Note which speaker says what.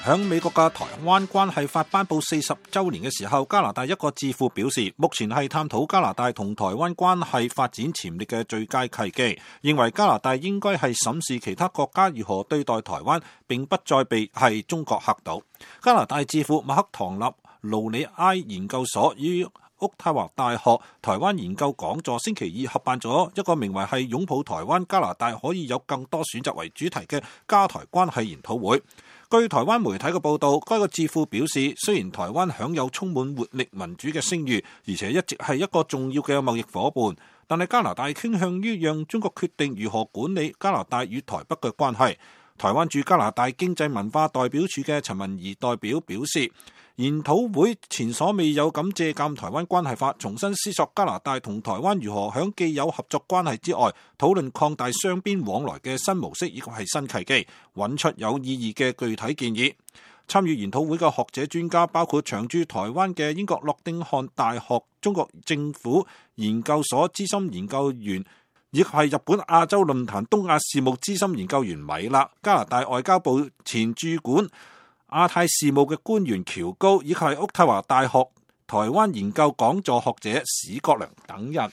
Speaker 1: 響美國嘅台灣關係法頒布40週年嘅時候，加拿大一個智庫表示，目前係探討加拿大同台灣關係發展潛力嘅最佳契機，認為加拿大應該係審視其他國家如何對待台灣，並不再被係中國嚇倒。加拿大智庫麥克唐納盧里埃研究所於渥太華大學台灣研究講座星期二合辦咗一個名為係擁抱台灣加拿大可以有更多選擇為主題嘅加台關係研討會。據台灣媒體嘅報道，該個智庫表示，雖然台灣享有充滿活力民主嘅聲譽，而且一直係一個重要嘅貿易夥伴，但係加拿大傾向於讓中國決定如何管理加拿大與台北嘅關係。台灣駐加拿大經濟文化代表處嘅陳文儀代表表示，研討會前所未有咁借鑑台灣關係法，重新思索加拿大同台灣如何喺既有合作關係之外，討論擴大雙邊往來嘅新模式以及係新契機，揾出有意義嘅具體建議。參與研討會嘅學者專家包括長駐台灣嘅英國諾丁漢大學中國政府研究所資深研究員，亦係日本亞洲論壇東亞事務資深研究員米勒，加拿大外交部前駐管亞太事務嘅官員喬高，以及係渥太華大學台灣研究講座學者史國良等人。